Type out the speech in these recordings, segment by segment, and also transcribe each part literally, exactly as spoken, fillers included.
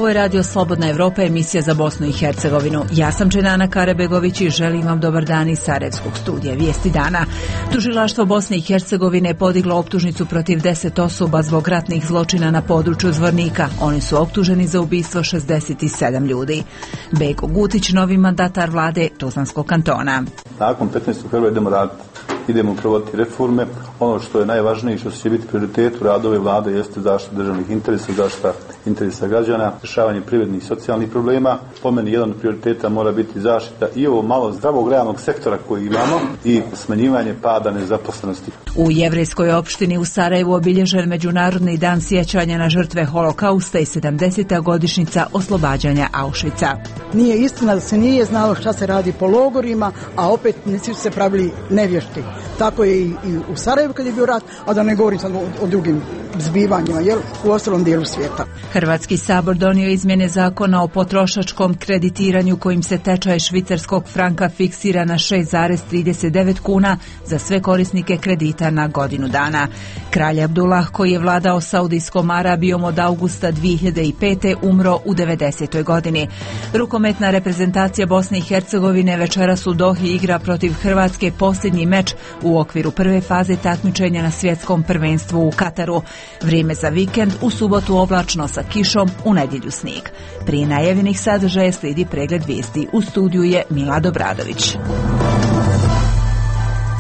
Ovo je Radio Slobodna Evropa, emisija za Bosnu i Hercegovinu. Ja sam Dženana Karabegović i želim vam dobar dan iz Sarajevskog studija Vijesti dana. Tužilaštvo Bosne i Hercegovine podiglo optužnicu protiv deset osoba zbog ratnih zločina na području Zvornika. Oni su optuženi za ubistvo šezdeset sedam ljudi. Bego Gutić, novi mandatar vlade Tuzlanskog kantona. Nakon petnaestog februara idemo raditi. Idemo provoditi reforme. Ono što je najvažnije i što će biti prioritet u radu ove vlade jeste zaštita državnih interesa, zaštita interesa građana, rješavanje privrednih i socijalnih problema. Po meni jedan od prioriteta mora biti zaštita i ovo malo zdravog realnog sektora koji imamo i smanjivanje pada nezaposlenosti. U jevrejskoj opštini u Sarajevu obilježen Međunarodni dan sjećanja na žrtve holokausta i sedamdeseta godišnjica oslobađanja Auschwitza. Nije istina da se nije znalo šta se radi po logorima, a opet nisu se pravili nevješti. Tako je i u Sarajevu kad je bio rat, a da ne govorim sad o, o drugim zbivanjima, jel, u ostalom dijelu svijeta. Hrvatski sabor donio izmjene zakona o potrošačkom kreditiranju kojim se tečaj švicarskog franka fiksira na šest zarez trideset devet kuna za sve korisnike kredita na godinu dana. Kralj Abdullah, koji je vladao Saudijskom Arabijom od avgusta dvije hiljade pete. umro u devedesetoj godini. Rukometna reprezentacija Bosne i Hercegovine večeras u Dohi igra protiv Hrvatske posljednji meč u okviru prve faze takmičenja na svjetskom prvenstvu u Kataru. Vrijeme za vikend, u subotu oblačno sa kišom, u nedjelju snijeg. Prije najavljenih sadržaja slijedi pregled vijesti. U studiju je Milad Obradović.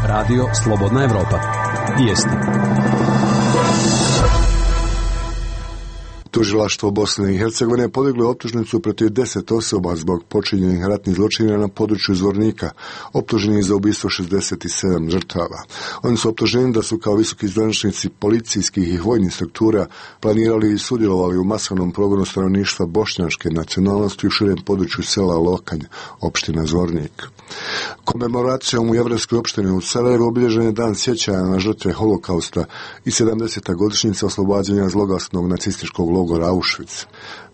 Radio Slobodna Evropa. Vijesti. Tužilaštvo Bosne i Hercegovine podiglo optužnicu protiv deset osoba zbog počinjenih ratnih zločina na području Zvornika, optuženi za ubistvo šezdeset sedam žrtava. Oni su optuženi da su kao visoki zvaničnici policijskih i vojnih struktura planirali i sudjelovali u masovnom progonu stanovništva bošnjačke nacionalnosti u širem području sela Lokanj, opština Zvornik. Komemoracijom u jevrejskoj opštini u Sarajevu obilježen je dan sjećanja na žrtve holokausta i sedamdeseta godišnjica oslobađanja zloglasnog nacističkog logora Auschwitz.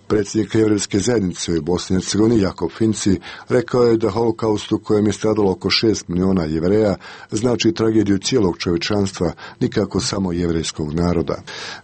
Predsjednik jevrejske zajednice u Bosni i Hercegovini Jakob Finci rekao je da holokaust u kojem je stradalo oko šest miliona Jevreja znači tragediju cijelog čovječanstva, nikako samo jevrejskog naroda.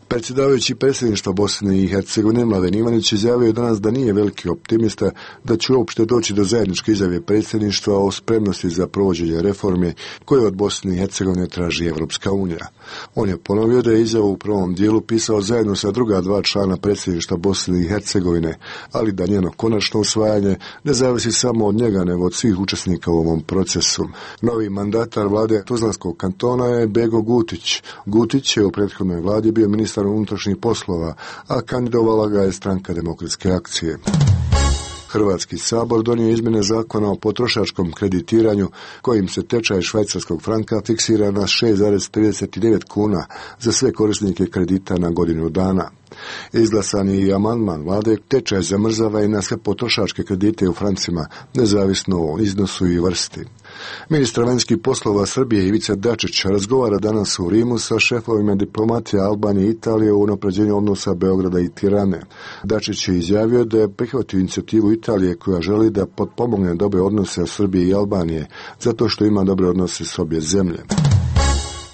Predsjedavajući predsjedništva Bosne i Hercegovine Mladen Ivanić izjavio danas da nije veliki optimista da će uopšte doći do zajedničke izjave predsjedništva o spremnosti za provođenje reforme koje od Bosne i Hercegovine traži Evropska unija. On je ponovio da je izjavu u prvom dijelu pisao zajedno sa druga dva člana predsjedništva Bosne i Hercegovine, ali da njeno konačno usvajanje ne zavisi samo od njega nego od svih učesnika u ovom procesu. Novi mandatar vlade Tuzlanskog kantona je Bego Gutić. Gutić je u prethodnoj vladi bio ministar unutrašnjih poslova, a kandidovala ga je Stranka demokratske akcije. Hrvatski sabor donio izmjene zakona o potrošačkom kreditiranju kojim se tečaj švajcarskog franka fiksira na šest zarez trideset devet kuna za sve korisnike kredita na godinu dana. Izglasan je i amandman vlade, tečaj zamrzava i na sve potrošačke kredite u francima, nezavisno o iznosu i vrsti. Ministar vanjskih poslova Srbije Ivica Dačić razgovara danas u Rimu sa šefovima diplomatije Albanije i Italije o unapređenju odnosa Beograda i Tirane. Dačić je izjavio da je prihvatio inicijativu Italije koja želi da potpomogne dobre odnose Srbije i Albanije, zato što ima dobre odnose s obje zemlje.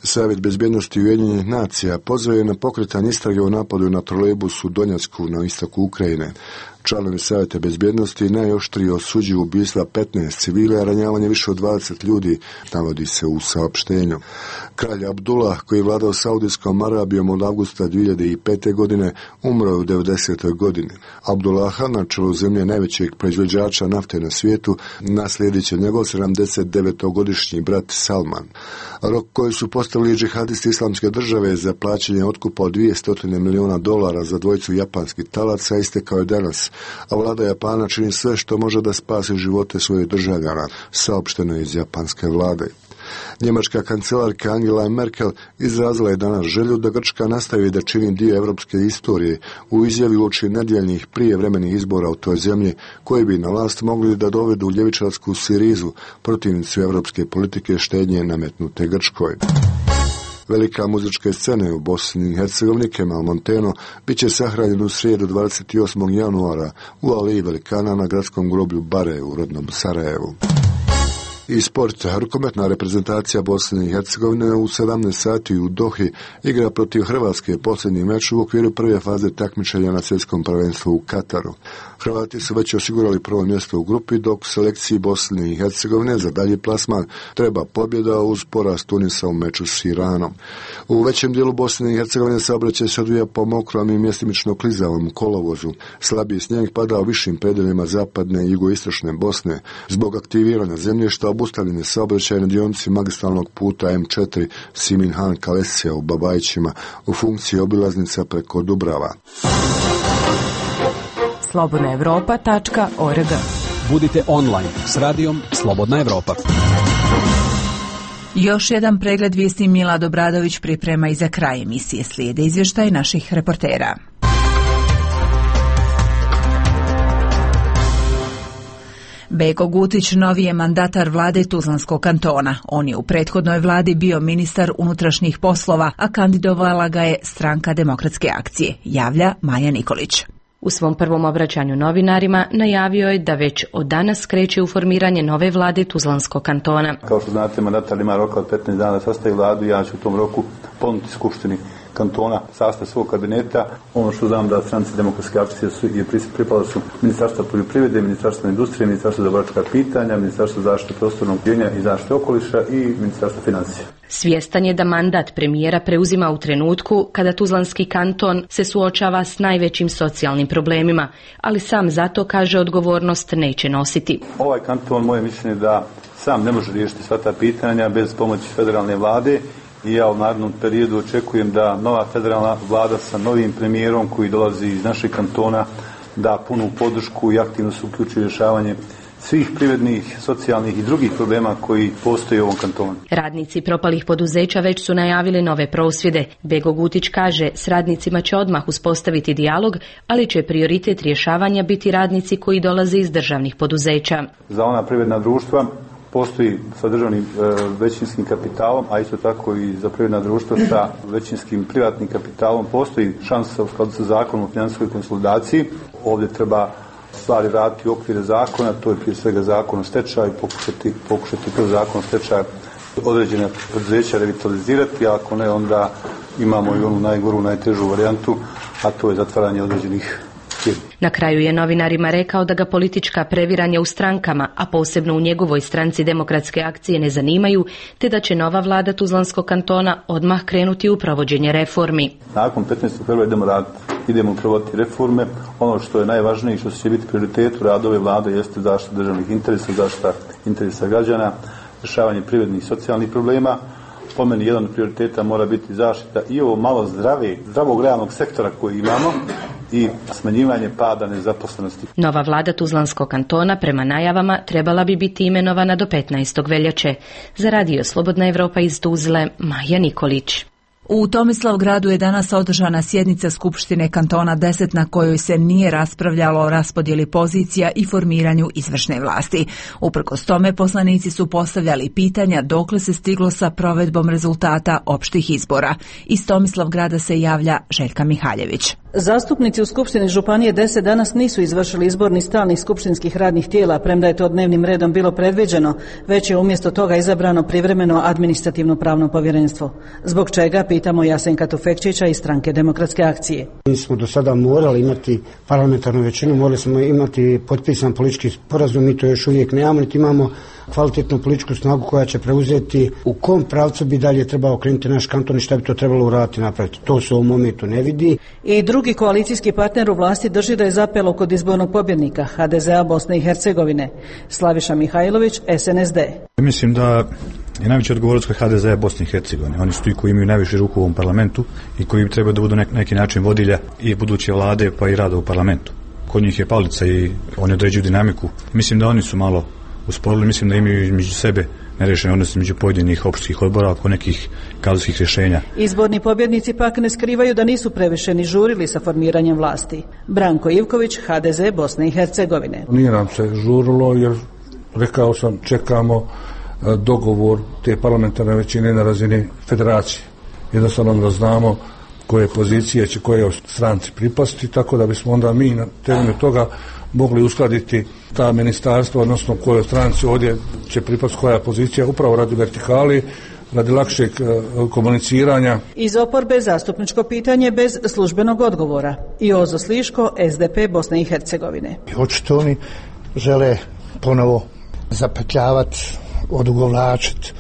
Savjet bezbjednosti Ujedinjenih nacija pozvao je na pokretanje istrage o napadu na trolejbus u Donjacku na istoku Ukrajine. Članovi Savjeta bezbjednosti najoštrije osuđuju ubistva petnaest civila, a ranjavanje više od dvadeset ljudi, navodi se u saopštenju. Kralj Abdullah, koji je vladao Saudijskom Arabijom od avgusta dvije hiljade pete. godine, umro je u devedesetoj godini. Abdullaha, na čelu zemlje najvećeg proizvođača nafte na svijetu, naslijedit će njegov sedamdesetdevetogodišnji brat Salman. Rok koji su postavili džihadisti Islamske države za plaćanje otkupa od dvjesto miliona dolara za dvojicu japanskih talaca istekao je danas, a vlada Japana čini sve što može da spasi živote svojih državljana, saopšteno iz japanske vlade. Njemačka kancelarka Angela Merkel izrazila je danas želju da Grčka nastavi da čini dio evropske istorije u izjavi uoči nedjeljnih prijevremenih izbora u toj zemlji koji bi na vlast mogli da dovedu ljevičarsku Sirizu, protivnicu evropske politike štednje nametnute Grčkoj. Velika muzičke scene u Bosni i Hercegovini Kemal Monteno bit će sahranjen u srijedu dvadeset osmog januara u Aleji velikana na gradskom groblju Bare u rodnom Sarajevu. I sport, rukometna reprezentacija Bosne i Hercegovine u sedamnaest sati u Dohi igra protiv Hrvatske posljednji meč u okviru prve faze takmičenja na svjetskom prvenstvu u Kataru. Hrvati su već osigurali prvo mjesto u grupi, dok selekciji Bosne i Hercegovine za dalji plasman treba pobjeda uz poraz Tunisa u meču s Iranom. U većem dijelu Bosne i Hercegovine saobraćaj se odvija po mokrom i mjestimično klizavom kolovozu. Slabiji snijeg pada u višim predeljima zapadne i jugoistočne Bosne. Zbog aktiviranja zemljišta obustavljen je saobraćaj na dionici magistralnog puta em četiri Siminhan Kalesija u Babajićima u funkciji obilaznica preko Dubrava. slobodna evropa tačka org. Budite online s radijom Slobodna Evropa. Još jedan pregled vijesti Milad Obradović priprema i za kraj emisije slijede izvještaj naših reportera. Beko Gutić novi je mandatar vlade Tuzlanskog kantona. On je u prethodnoj vladi bio ministar unutrašnjih poslova, a kandidovala ga je Stranka demokratske akcije, javlja Maja Nikolić. U svom prvom obraćanju novinarima najavio je da već od danas kreće u formiranje nove vlade Tuzlanskog kantona. Kao što znate, mandatar ima roka od petnaest dana da sastavi vladu i ja ću u tom roku ponuditi Skupštini kantona sastav svog kabineta. Ono što znam da Stranci demokratske akcije su, je pripala su Ministarstva poljoprivrede, Ministarstva industrije, Ministarstva za boračka pitanja, Ministarstva zaštite prostornog uređenja i zaštite okoliša i Ministarstva financija. Svjestan je da mandat premijera preuzima u trenutku kada Tuzlanski kanton se suočava s najvećim socijalnim problemima, ali sam zato, kaže, odgovornost neće nositi. Ovaj kanton, moje mišljenje, da sam ne može riješiti sva ta pitanja bez pomoći federalne vlade i ja u narednom periodu očekujem da nova federalna vlada sa novim premijerom koji dolazi iz našeg kantona da punu podršku i aktivno se uključi u rješavanje svih privrednih, socijalnih i drugih problema koji postoje u ovom kantonu. Radnici propalih poduzeća već su najavili nove prosvjede. Beko Gutić kaže, s radnicima će odmah uspostaviti dijalog, ali će prioritet rješavanja biti radnici koji dolaze iz državnih poduzeća. Za ona privredna društva postoji sa državnim e, većinskim kapitalom, a isto tako i za privredna društva sa većinskim privatnim kapitalom postoji šansa u skladu sa zakonom o financijskoj konsolidaciji. Ovdje treba stvari raditi u okvire zakona, to je prije svega zakon o stečaju, pokušati, pokušati kroz zakon o stečaju određene poduzeća revitalizirati, a ako ne, onda imamo i onu najgoru, najtežu varijantu, a to je zatvaranje određenih firmi. Na kraju je novinarima rekao da ga politička previranja u strankama, a posebno u njegovoj stranci demokratske akcije, ne zanimaju, te da će nova vlada Tuzlanskog kantona odmah krenuti u provođenje reformi. Nakon petnaestog februara idemo raditi, idemo provoditi reforme. Ono što je najvažnije i što će biti prioritet u radu ove vlade jeste zaštita državnih interesa, zaštita interesa građana, rješavanje privrednih i socijalnih problema. Po meni jedan od prioriteta mora biti zaštita i ovo malo zdrave, zdravog realnog sektora koji imamo i smanjivanje pada nezaposlenosti. Nova vlada Tuzlanskog kantona prema najavama trebala bi biti imenovana do petnaestog veljače. Za radio Slobodna Evropa iz Tuzle, Maja Nikolić. U Tomislavgradu je danas održana sjednica Skupštine kantona deset na kojoj se nije raspravljalo o raspodjeli pozicija i formiranju izvršne vlasti. Uprkos tome, poslanici su postavljali pitanja dokle se stiglo sa provedbom rezultata opštih izbora. Iz Tomislavgrada se javlja Željka Mihaljević. Zastupnici u Skupštini Županije deset danas nisu izvršili izbor ni stalnih skupštinskih radnih tijela, premda je to dnevnim redom bilo predviđeno, već je umjesto toga izabrano privremeno administrativno pravno povjerenstvo. Zbog čega, pitamo Jasenka Tufekčića iz Stranke demokratske akcije. Mi smo do sada morali imati parlamentarnu većinu, morali smo imati potpisan politički sporazum, mi to još uvijek nemamo, niti imamo kvalitetnu političku snagu koja će preuzeti u kom pravcu bi dalje trebao krenuti naš kanton i šta bi to trebalo uraditi napraviti. To se u ovom momentu ne vidi. I drugi koalicijski partner u vlasti drži da je zapelo kod izbornog pobjednika ha de ze a Bosne i Hercegovine. Slaviša Mihajlović, es en es de. Mislim da je najveća odgovornost kod ha de ze a Bosne i Hercegovine. Oni su ti koji imaju najviše ruku u ovom parlamentu i koji trebaju da budu nek, neki način vodilja i buduće vlade pa i rada u parlamentu. Kod njih je palica i oni određuju dinamiku. Mislim da oni su malo usporili, mislim da imaju među sebe nerešene odnose među pojedinih opštih odbora oko nekih kadrovskih rješenja. Izborni pobjednici pak ne skrivaju da nisu previše ni žurili sa formiranjem vlasti. Branko Ivković, ha de ze Bosne i Hercegovine. Nije nam se žurilo jer, rekao sam, čekamo dogovor te parlamentarne većine na razini federacije. Jednostavno da znamo koje pozicije će koje stranci pripasti, tako da bismo onda mi na temelju toga mogli uskladiti ta ministarstva, odnosno kojoj stranci ovdje će pripasti koja pozicija, upravo radi vertikali, radi lakšeg komuniciranja. Iz oporbe zastupničko pitanje bez službenog odgovora. Jozo Sliško, S D P Bosne i Hercegovine. Očito oni žele ponovo zapetljavati, odugovlačiti,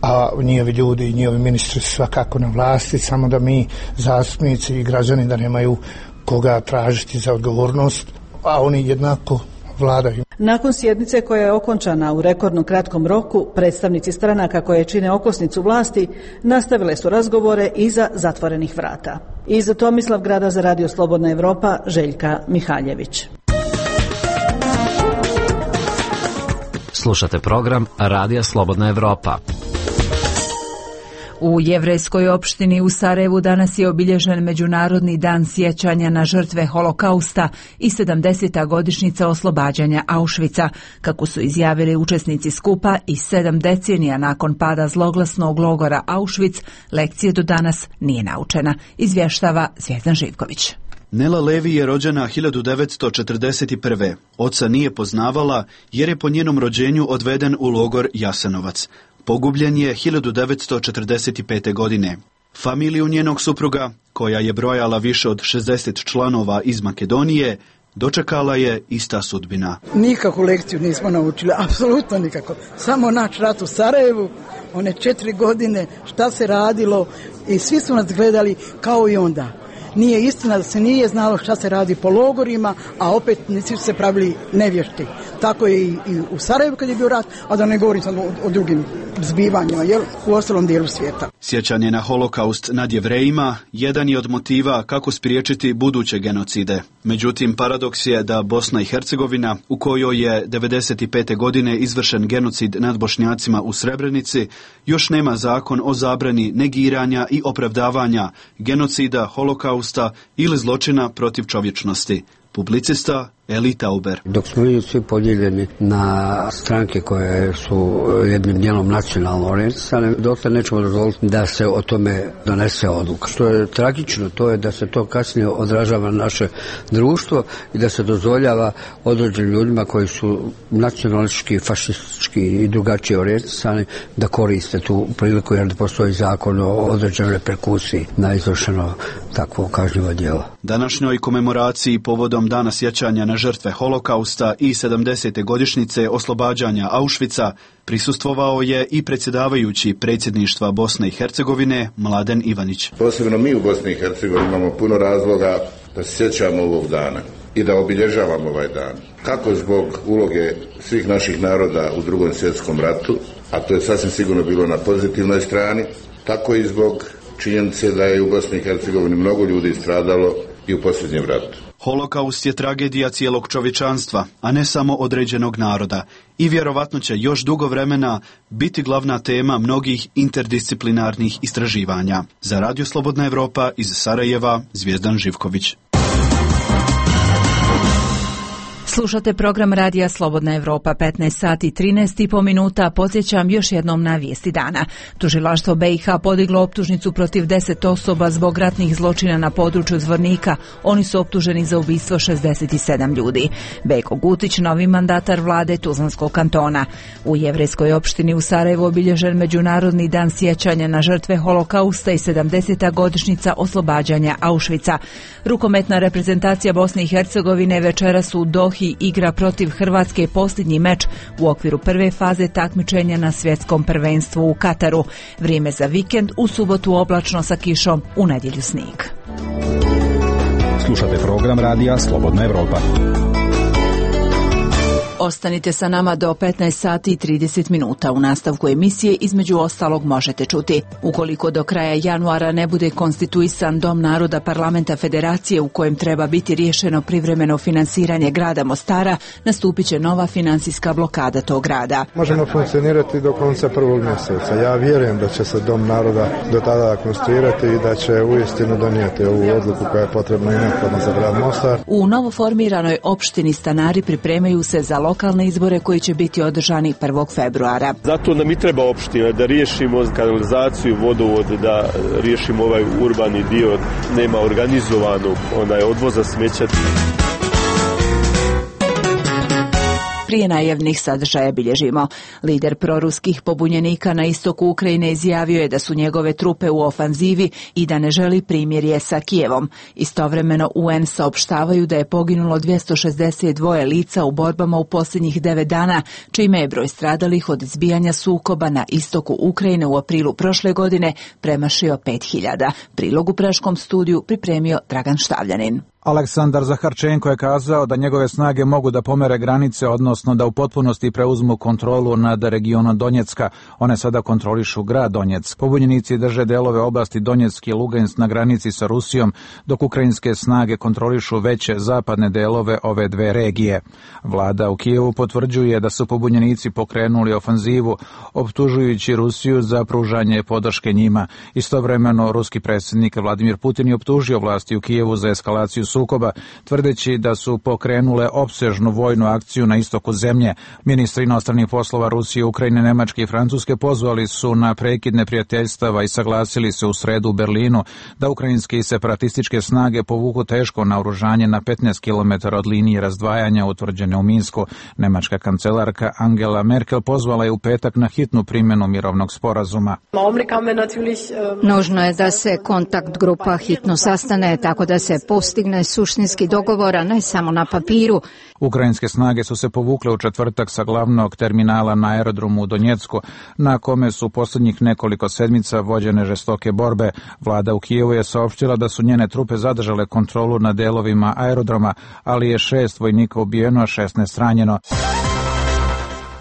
a njihovi ljudi i njihovi ministri svakako na vlasti, samo da mi zastupnici i građani da nemaju koga tražiti za odgovornost, a oni jednako vladaju. Nakon sjednice koja je okončana u rekordno kratkom roku, predstavnici stranaka koje čine okosnicu vlasti nastavile su razgovore iza zatvorenih vrata. Iz Tomislavgrada za Radio Slobodna Evropa, Željka Mihaljević. Slušate program Radija Slobodna Evropa. U jevrejskoj opštini u Sarajevu danas je obilježen Međunarodni dan sjećanja na žrtve Holokausta i sedamdeseta godišnjica oslobađanja Auschwitza, kako su izjavili učesnici skupa. I sedam decenija nakon pada zloglasnog logora Auschwitz, lekcije do danas nije naučena, izvještava Zvijezdan Živković. Nela Levi je rođena hiljadu devetsto četrdeset prve. Oca nije poznavala jer je po njenom rođenju odveden u logor Jasenovac. Pogubljen je hiljadu devetsto četrdeset pete. godine. Familiju njenog supruga, koja je brojala više od šezdeset članova iz Makedonije, dočekala je ista sudbina. Nikakvu lekciju nismo naučili, apsolutno nikako. Samo naš rat u Sarajevu, one četiri godine, šta se radilo i svi su nas gledali kao i onda. Nije istina da se nije znalo šta se radi po logorima, a opet svi su se pravili nevješti. Tako je i, i u Sarajevu kad je bio rat, a da ne govorim sad o, o drugim zbivanjima, jel, u ostalom dijelu svijeta. Sjećanje na holokaust nad Jevrejima jedan je od motiva kako spriječiti buduće genocide. Međutim, paradoks je da Bosna i Hercegovina, u kojoj je devedeset pete. godine izvršen genocid nad Bošnjacima u Srebrenici, još nema zakon o zabrani negiranja i opravdavanja genocida, holokausta ili zločina protiv čovječnosti. Publicista Eli Tauber. Dok smo mi svi podijeljeni na stranke koje su jednim dijelom nacionalno orijentisane, dotle nećemo dozvoliti da se o tome donese odluka. Što je tragično, to je da se to kasnije odražava na naše društvo i da se dozvoljava određenim ljudima koji su nacionalistički, fašistički i drugačije orijentisani da koriste tu priliku jer da postoji zakon o određenoj reperkusiji na izvršeno takvo kažnjivo djelo. Današnjoj komemoraciji povodom Dana sjećanja na žrtve Holokausta i sedamdesete godišnjice oslobađanja Auschwitza prisustvovao je i predsjedavajući predsjedništva Bosne i Hercegovine Mladen Ivanić. Posebno mi u Bosni i Hercegovini imamo puno razloga da se sjećamo ovog dana i da obilježavamo ovaj dan. Kako zbog uloge svih naših naroda u Drugom svjetskom ratu, a to je sasvim sigurno bilo na pozitivnoj strani, tako i zbog činjenice da je u Bosni i Hercegovini mnogo ljudi stradalo i u posljednjem ratu. Holokaust je tragedija cijelog čovječanstva, a ne samo određenog naroda i vjerovatno će još dugo vremena biti glavna tema mnogih interdisciplinarnih istraživanja. Za Radio Slobodna Evropa iz Sarajeva, Zvijezdan Živković. Slušate program Radija Slobodna Evropa, petnaest sati i trinaest i po minuta. Podsjećam još jednom na vijesti dana. Tužilaštvo B i H podiglo optužnicu protiv deset osoba zbog ratnih zločina na području Zvornika. Oni su optuženi za ubistvo šezdeset sedam ljudi. Beko Gutić, novi mandatar vlade Tuzlanskog kantona. U jevrejskoj opštini u Sarajevu obilježen Međunarodni dan sjećanja na žrtve Holokausta i sedamdeseta godišnjica oslobađanja Auschwitza. Rukometna reprezentacija Bosne i Hercegovine večeras u Dohi igra protiv Hrvatske posljednji meč u okviru prve faze takmičenja na svjetskom prvenstvu u Kataru. Vrijeme za vikend, u subotu oblačno sa kišom, u nedjelju snijeg. Slušate program Radija Slobodna Evropa. Ostanite sa nama do petnaest sati i trideset minuta. U nastavku emisije između ostalog možete čuti: ukoliko do kraja januara ne bude konstituisan Dom naroda Parlamenta Federacije u kojem treba biti riješeno privremeno finansiranje grada Mostara, nastupit će nova financijska blokada tog grada. Možemo funkcionirati do konca prvog mjeseca. Ja vjerujem da će se Dom naroda do tada konstituirati i da će uistinu donijeti ovu odluku koja je potrebna i neophodna za grad Mostar. U novoformiranoj opštini stanari pripremaju se za lokalne izbore koji će biti održani prvog februara. Zato nam i treba opština da riješimo kanalizaciju, vodovod, da riješimo ovaj urbani dio, nema organizovanog onaj odvoza smeća. Prije najavnih sadržaja bilježimo. Lider proruskih pobunjenika na istoku Ukrajine izjavio je da su njegove trupe u ofanzivi i da ne želi primirje sa Kijevom. Istovremeno U N saopštavaju da je poginulo dvjesto šezdeset dva lica u borbama u posljednjih devet dana, čime je broj stradalih od izbijanja sukoba na istoku Ukrajine u aprilu prošle godine premašio pet hiljada. Prilog u Praškom studiju pripremio Dragan Štavljanin. Aleksandar Zaharčenko je kazao da njegove snage mogu da pomere granice, odnosno da u potpunosti preuzmu kontrolu nad regionom Donjecka. One sada kontrolišu grad Donjeck. Pobunjenici drže delove oblasti Donjeck i Lugansk na granici sa Rusijom, dok ukrajinske snage kontrolišu veće zapadne delove ove dve regije. Vlada u Kijevu potvrđuje da su pobunjenici pokrenuli ofanzivu, optužujući Rusiju za pružanje podrške njima. Istovremeno, ruski predsjednik Vladimir Putin je optužio vlasti u Kijevu za eskalaciju sukoba, tvrdeći da su pokrenule opsežnu vojnu akciju na istoku zemlje. Ministri inostranih poslova Rusije, Ukrajine, Nemačke i Francuske pozvali su na prekid neprijateljstava i saglasili se u sredu u Berlinu da ukrajinske i separatističke snage povuku teško naoružanje na petnaest kilometara od linije razdvajanja utvrđene u Minsku. Nemačka kancelarka Angela Merkel pozvala je u petak na hitnu primjenu mirovnog sporazuma. Nužno je da se kontakt grupa hitno sastane tako da se postigne suštinski dogovor, a ne samo na papiru. Ukrajinske snage su se povukle u četvrtak sa glavnog terminala na aerodromu u Donjecku, na kome su posljednjih nekoliko sedmica vođene žestoke borbe. Vlada u Kijevu je saopštila da su njene trupe zadržale kontrolu nad delovima aerodroma, ali je šest vojnika ubijeno, a šesnaest ranjeno.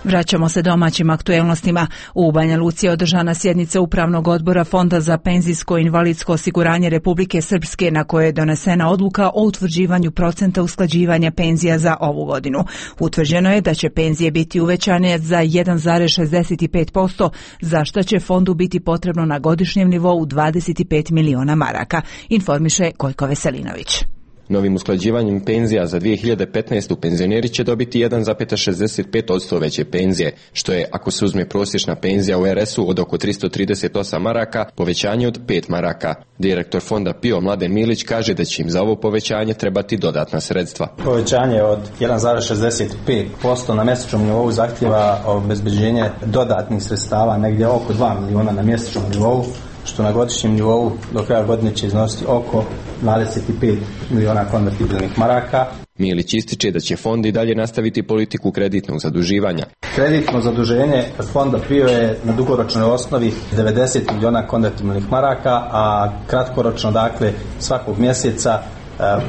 Vraćamo se domaćim aktuelnostima. U Banja Luci je održana sjednica Upravnog odbora Fonda za penzijsko i invalidsko osiguranje Republike Srpske, na kojoj je donesena odluka o utvrđivanju procenta usklađivanja penzija za ovu godinu. Utvrđeno je da će penzije biti uvećane za jedan zarez šezdeset pet posto, za što će fondu biti potrebno na godišnjem nivou dvadeset pet miliona maraka, informiše Gojko Veselinović. Novim usklađivanjem penzija za dvije hiljade petnaestu penzioneri će dobiti jedan zarez šezdeset pet posto veće penzije, što je, ako se uzme prosječna penzija u R S-u od oko tristo trideset osam maraka, povećanje od pet maraka. Direktor fonda P I O Mladen Milić kaže da će im za ovo povećanje trebati dodatna sredstva. Povećanje od jedan zarez šezdeset pet posto na mjesečnom nivou zahtjeva obezbeđenje dodatnih sredstava negdje oko dva miliona na mjesečnom nivou, što na godišnjem nivou do kraja godine će iznositi oko dvadeset pet miliona konvertibilnih maraka. Milić ističe da će fond i dalje nastaviti politiku kreditnog zaduživanja. Kreditno zaduženje fonda P I O je na dugoročnoj osnovi devedeset miliona konvertibilnih maraka, a kratkoročno, dakle, svakog mjeseca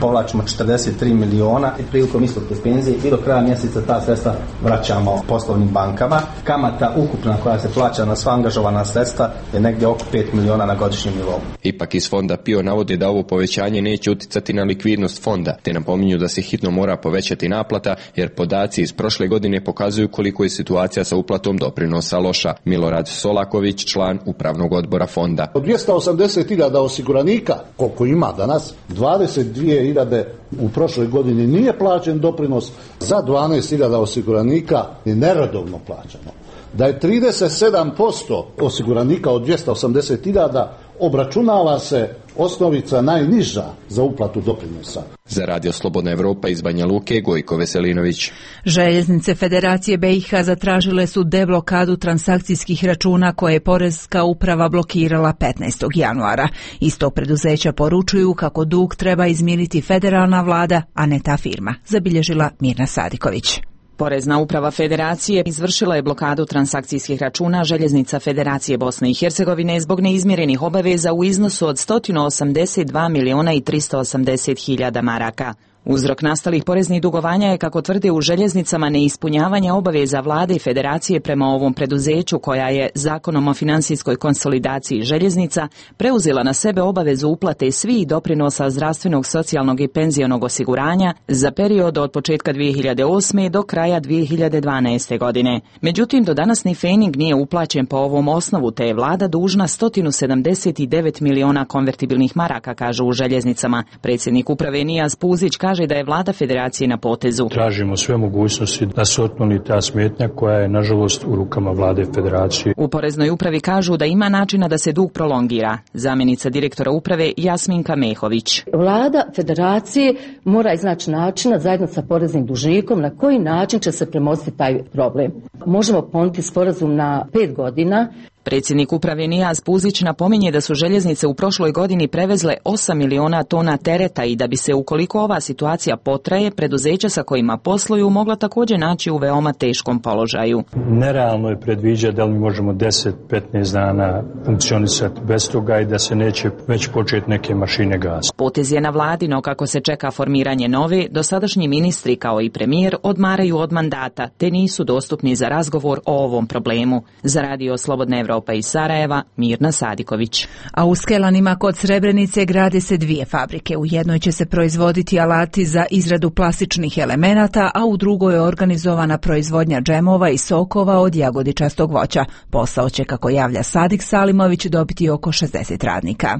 povlačimo četrdeset tri miliona i prilikom isplate penzije i do kraja mjeseca ta sredstva vraćamo poslovnim bankama. Kamata ukupna koja se plaća na sva angažovana sredstva je negdje oko pet miliona na godišnjem nivou. Ipak iz fonda P I O navode da ovo povećanje neće uticati na likvidnost fonda, te napominju da se hitno mora povećati naplata, jer podaci iz prošle godine pokazuju koliko je situacija sa uplatom doprinosa loša. Milorad Solaković, član Upravnog odbora fonda. Od dvjesto osamdeset hiljada osiguranika, koliko ima danas, dvadeset dvije hiljade u prošloj godini nije plaćen doprinos, za dvanaest hiljada osiguranika je neredovno plaćano. Da je trideset sedam posto osiguranika od dvjesto osamdeset hiljada obračunava se osnovica najniža za uplatu doprinosa. Za Radio Slobodna Evropa iz Banja Luke, Gojko Veselinović. Željeznice Federacije B i H zatražile su deblokadu transakcijskih računa koje je Poreska uprava blokirala petnaestog januara. Isto preduzeća poručuju kako dug treba izmiriti federalna vlada, a ne ta firma, zabilježila Mirna Sadiković. Porezna uprava Federacije izvršila je blokadu transakcijskih računa Željeznica Federacije Bosne i Hercegovine zbog neizmjerenih obaveza u iznosu od sto osamdeset dva miliona i tristo osamdeset hiljada maraka. Uzrok nastalih poreznih dugovanja je, kako tvrde u Željeznicama, neispunjavanje obaveza vlade i Federacije prema ovom preduzeću, koja je Zakonom o financijskoj konsolidaciji željeznica preuzela na sebe obavezu uplate svih doprinosa zdravstvenog, socijalnog i penzionog osiguranja za period od početka dvije hiljade osme. do kraja dvije hiljade dvanaeste. godine. Međutim, do danas ni fening nije uplaćen po ovom osnovu, te je vlada dužna sto sedamdeset devet miliona konvertibilnih maraka, kažu u Željeznicama. Predsjednik uprave Nijaz Puzić kaže kaže da je vlada federacije na potezu. Tražimo sve mogućnosti da se otkloni ta smetnja koja je nažalost u rukama vlade federacije. U Poreznoj upravi kažu da ima načina da se dug prolongira. Zamjenica direktora uprave Jasminka Mehović. Vlada federacije mora iznaći načina zajedno sa poreznim dužnikom na koji način će se premostiti taj problem. Možemo ponuditi sporazum na pet godina. Predsjednik uprave Nijaz Puzić napominje da su željeznice u prošloj godini prevezle osam miliona tona tereta i da bi se, ukoliko ova situacija potraje, preduzeća sa kojima posluju mogla također naći u veoma teškom položaju. Nerealno je predviđati da li možemo deset do petnaest dana funkcionisati bez toga i da se neće već početi neke mašine gasiti. Potez je na vladi, no kako se čeka formiranje nove, dosadašnji ministri kao i premijer odmaraju od mandata te nisu dostupni za razgovor o ovom problemu. Za Radio Slobodna Evropa pa iz Sarajeva, Mirna Sadiković. A u Skelanima kod Srebrenice grade se dvije fabrike. U jednoj će se proizvoditi alati za izradu plastičnih elemenata, a u drugoj je organizovana proizvodnja džemova i sokova od jagodičastog voća. Posao će, kako javlja Sadik Salimović, dobiti oko šezdeset radnika.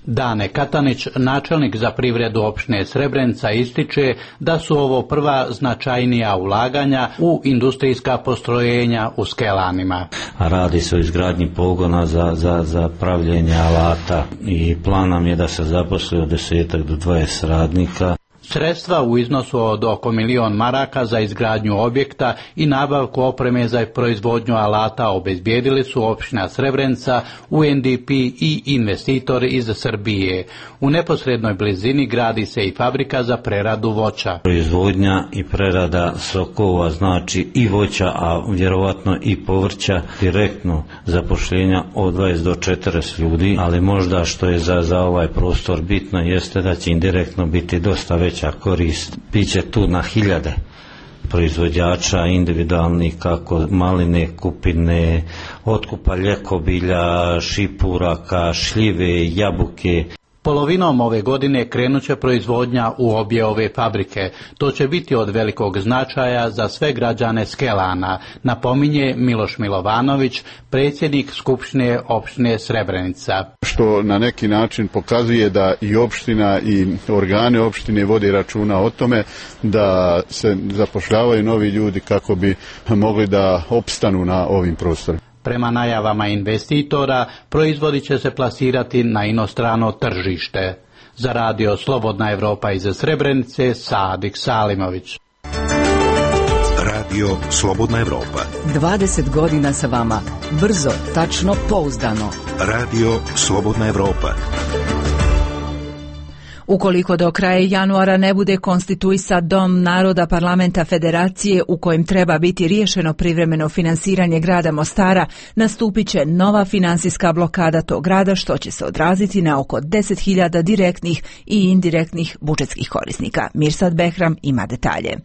Dane Katanić, načelnik za privredu opštine Srebrenica, ističe da su ovo prva značajnija ulaganja u industrijska postrojenja u Skelanima. Radi se o izgradnji pogona za, za, za pravljenje alata i plan nam je da se zaposli od desetak do dvadeset radnika. Sredstva u iznosu od oko milion maraka za izgradnju objekta i nabavku opreme za proizvodnju alata obezbijedili su opština Srebrenica, U N D P i investitori iz Srbije. U neposrednoj blizini gradi se i fabrika za preradu voća. Proizvodnja i prerada sokova, znači i voća, a vjerovatno i povrća, direktno zapošljenja od dvadeset do četrdeset ljudi, ali možda što je za, za ovaj prostor bitno jeste da će indirektno biti dosta veća korist. Biće tu na hiljade proizvođača individualnih, kako maline, kupine, otkupa ljekobilja, šipuraka, šljive, jabuke. Polovinom ove godine krenut će proizvodnja u obje ove fabrike. To će biti od velikog značaja za sve građane Skelana, napominje Miloš Milovanović, predsjednik Skupštine opštine Srebrenica. Što na neki način pokazuje da i opština i organe opštine vode računa o tome da se zapošljavaju novi ljudi kako bi mogli da opstanu na ovim prostorima. Prema najavama investitora, proizvodi će se plasirati na inostrano tržište. Za Radio Slobodna Evropa iz Srebrenice, Sadik Salimović. Radio Slobodna Evropa. dvadeset godina sa vama. Brzo, tačno, pouzdano. Radio Slobodna Evropa. Ukoliko do kraja januara ne bude konstituisat Dom naroda Parlamenta Federacije u kojem treba biti riješeno privremeno finansiranje grada Mostara, nastupit će nova finansijska blokada tog grada, što će se odraziti na oko deset hiljada direktnih i indirektnih budžetskih korisnika. Mirsad Behram ima detalje.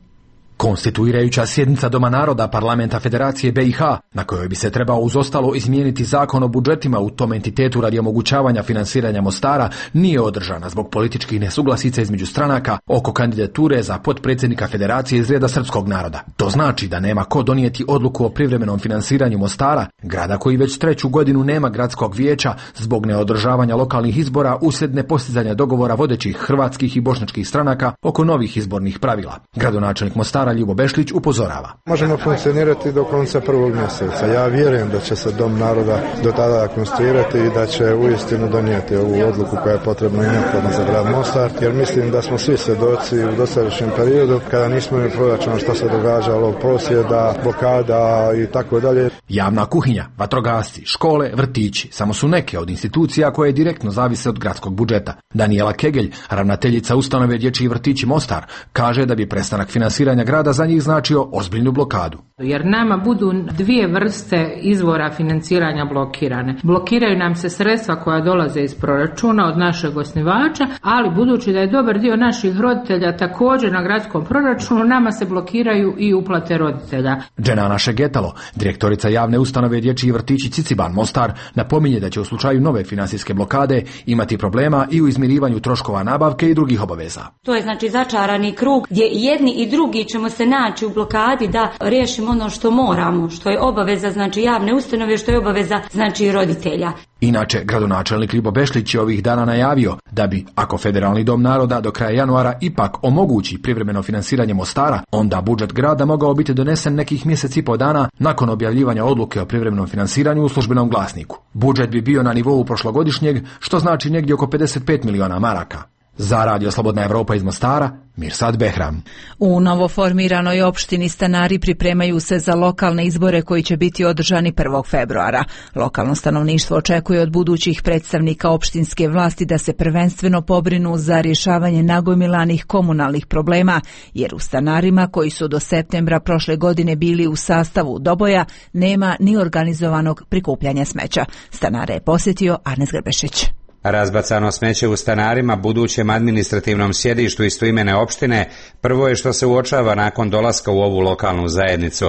Konstituirajuća sjednica Doma naroda Parlamenta Federacije B i H, na kojoj bi se trebao uz ostalo izmijeniti zakon o budžetima u tom entitetu radi omogućavanja finansiranja Mostara, nije održana zbog političkih nesuglasica između stranaka oko kandidature za potpredsjednika Federacije iz reda srpskog naroda. To znači da nema ko donijeti odluku o privremenom finansiranju Mostara, grada koji već treću godinu nema gradskog vijeća zbog neodržavanja lokalnih izbora uslijed nepostizanja dogovora vodećih hrvatskih i bošnjačkih stranaka oko novih izbornih pravila. Gradonačelnik Mostara Ljubo Bešlić upozorava. Možemo funkcionirati do konca prvog mjeseca. Ja vjerujem da će se Dom naroda do tada konstituirati i da će uistinu donijeti ovu odluku koja je potrebna i neophodna za grad Mostar, jer mislim da smo svi svjedoci u dosadašnjem periodu kada nismo imali proračuna što se događalo, prosvjeda, blokada i tako dalje. Javna kuhinja, vatrogasci, škole, vrtići samo su neke od institucija koje direktno zavise od gradskog budžeta. Daniela Kegelj, ravnateljica ustanove Dječji vrtići Mostar, kaže da bi prestanak finansiranja grada za njih značio ozbiljnu blokadu. Jer nama budu dvije vrste izvora financiranja blokirane. Blokiraju nam se sredstva koja dolaze iz proračuna od našeg osnivača, ali budući da je dobar dio naših roditelja također na gradskom proračunu, nama se blokiraju i uplate roditelja. Dženana Šegetalo, direktorica javne ustanove Dječji vrtići Ciciban Mostar, napominje da će u slučaju nove finansijske blokade imati problema i u izmirivanju troškova nabavke i drugih obaveza. To je znači začarani krug gdje jedni i drugi ćemo ćemo se naći u blokadi da riješimo ono što moramo, što je obaveza znači javne ustanove, što je obaveza znači roditelja. Inače, gradonačelnik Ljubo Bešlić je ovih dana najavio da bi, ako Federalni dom naroda do kraja januara ipak omogući privremeno finansiranje Mostara, onda budžet grada mogao biti donesen nekih mjesec i po dana nakon objavljivanja odluke o privremenom finansiranju u službenom glasniku. Budžet bi bio na nivou prošlogodišnjeg, što znači negdje oko pedeset pet miliona maraka. Za Radio Slobodna Evropa iz Mostara, Mirsad Behram. U novoformiranoj opštini stanari pripremaju se za lokalne izbore koji će biti održani prvog februara. Lokalno stanovništvo očekuje od budućih predstavnika opštinske vlasti da se prvenstveno pobrinu za rješavanje nagomilanih komunalnih problema, jer u stanarima koji su do septembra prošle godine bili u sastavu Doboja nema ni organizovanog prikupljanja smeća. Stanare je posjetio Arnes Grbešić. Razbacano smeće u stanarima, budućem administrativnom sjedištu istoimene opštine, prvo je što se uočava nakon dolaska u ovu lokalnu zajednicu.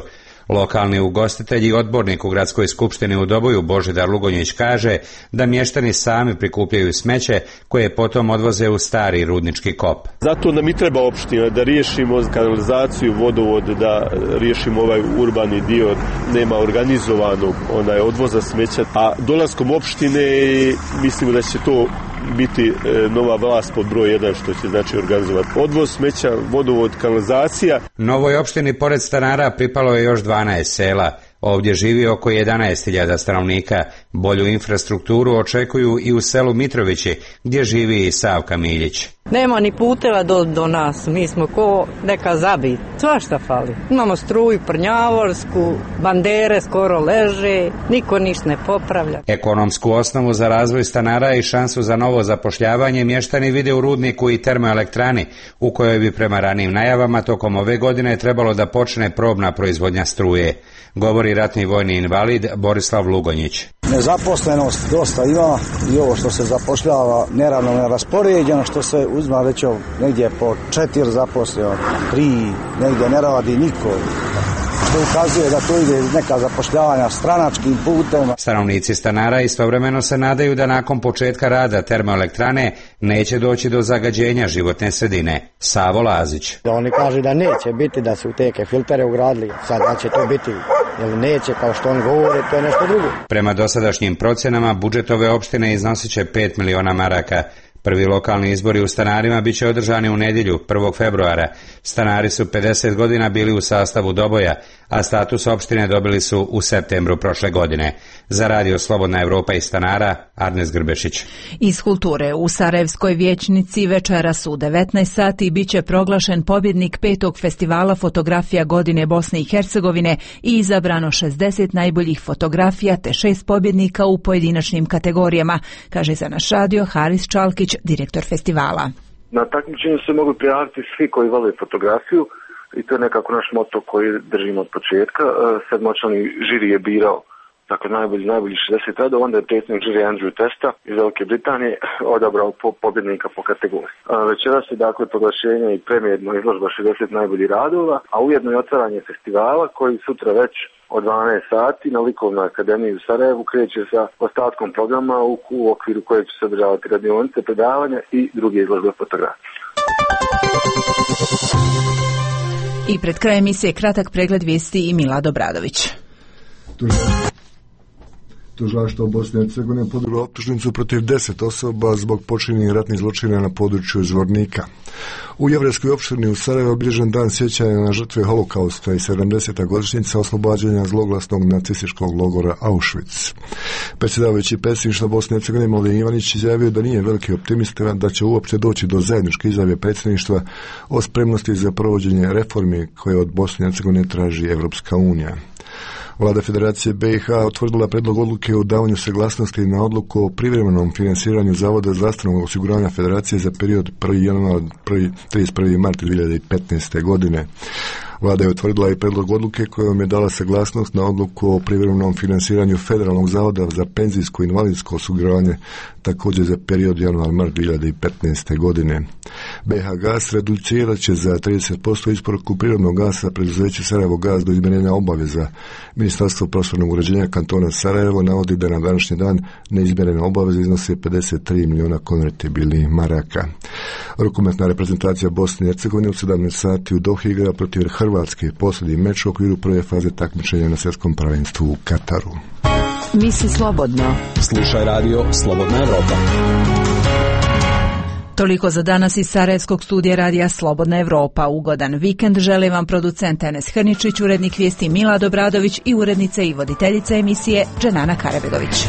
Lokalni ugostitelj i odbornik u gradskoj skupštini u Doboju Božidar Lugonjić kaže da mještani sami prikupljaju smeće koje potom odvoze u stari rudnički kop. Zato nam i treba opština da riješimo kanalizaciju, vodovod, da riješimo ovaj urbani dio, nema organizovanog onaj odvoza smeća, a dolaskom opštine mislimo da će to biti nova vlast pod broj jedan što će znači organizovati odvoz smeća, vodovod, kanalizacija. Novoj opštini pored stanara pripalo je još dvanaest sela. Ovdje živi oko jedanaest hiljada stanovnika. Bolju infrastrukturu očekuju i u selu Mitrovići, gdje živi i Savka Miljić. Nema ni puteva do, do nas, mi smo ko neka zabit, svašta fali. Imamo struju prnjavorsku, bandere skoro leže, niko ništa ne popravlja. Ekonomsku osnovu za razvoj stanara i šansu za novo zapošljavanje mještani vide u rudniku i termoelektrani, u kojoj bi prema ranijim najavama tokom ove godine trebalo da počne probna proizvodnja struje. Govori ratni vojni invalid Borislav Lugonjić. Nezaposlenost dosta ima i ovo što se zapošljava neravnomjerno raspoređeno, što se uzma već negdje po četiri zaposleno, tri, negdje ne radi niko. Što ukazuje da to ide neka zapošljavanja stranačkim putem. Stanovnici stanara istovremeno se nadaju da nakon početka rada termoelektrane neće doći do zagađenja životne sredine. Savo Lazić. Oni kažu da neće biti, da su u teke filtere ugradili, sad da će to biti ili neće, kao što oni govore, to je nešto drugo. Prema dosadašnjim procjenama budžet ove opštine iznosit će pet miliona maraka. Prvi lokalni izbori u stanarima biće održani u nedjelju, prvog februara. Stanari su pedeset godina bili u sastavu Doboja, a status opštine dobili su u septembru prošle godine. Za Radio Slobodna Evropa iz stanara, Arnes Grbešić. Iz kulture u Sarajevskoj vijećnici večeras u devetnaest sati biće proglašen pobjednik petog festivala fotografija godine Bosne i Hercegovine i izabrano šezdeset najboljih fotografija te šest pobjednika u pojedinačnim kategorijama, kaže za naš radio Haris Čalkić, direktor festivala. Na takmičenju se mogu prijaviti svi koji vole fotografiju i to je nekako naš moto koji držimo od početka. Sedmočlani žiri je birao dakle najbolji, najbolji šezdeset radova, onda je predsjednik žiri Andrew Testa iz Velike Britanije odabrao po, pobjednika po kategoriji. Večeras je dakle proglašenje i premijerna izložba šezdeset najboljih radova, a ujedno i otvaranje festivala koji sutra već od dvanaest sati na Likovnoj akademiji u Sarajevu kreće sa ostatkom programa u, u okviru kojeg će se održavati radionice, predavanja i druge izložbe fotografije. I pred krajem emisije kratak pregled vijesti i Milad Obradović. Tužilaštvo Bosne i Hercegovine podiglo optužnicu protiv deset osoba zbog počinjenih ratnih zločina na području Zvornika. U jevrejskoj opštini u Sarajevu obilježen dan sjećanja na žrtve holokausta i sedamdeseta godišnjica oslobađanja zloglasnog nacističkog logora Auschwitz. Predsjedavajući predsjedništva Bosne i Hercegovine Mladen Ivanić izjavio da nije veliki optimista da će uopće doći do zajedničke izjave predsjedništva o spremnosti za provođenje reformi koje od Bosne i Hercegovine traži Evropska unija. Vlada Federacije B i H otvrdila predlog odluke o davanju saglasnosti na odluku o privremenom finansiranju Zavoda zdravstvenog osiguranja Federacije za period prvi januar trideset prvi mart dvije hiljade petnaeste. godine. Vlada je utvrdila i predlog odluke kojom je dala saglasnost na odluku o privremenom finansiranju Federalnog zavoda za penzijsko i invalidsko osiguranje također za period januar-mart dvije hiljade petnaeste. godine. B H Gas reducirat će za trideset posto isporuku prirodnog gasa preduzeće Sarajevo Gas do izmirenja obaveza. Ministarstvo prostornog uređenja kantona Sarajevo navodi da na današnji dan neizmjerene obaveze iznose pedeset tri miliona konvertibilnih maraka. Rukometna reprezentacija Bosne i Hercegovine u sedamnaest sati u Dohi igra protiv Hrvatske, posljednji meč u okviru prve faze takmičenja na svjetskom prvenstvu u Kataru. Misli slobodno. Slušaj radio Slobodna Evropa. Toliko za danas iz Sarajevskog studija radija Slobodna Evropa. Ugodan vikend želi vam producent Enes Hrničić, urednik vijesti Milad Obradović i urednica i voditeljica emisije Dženana Karabegović.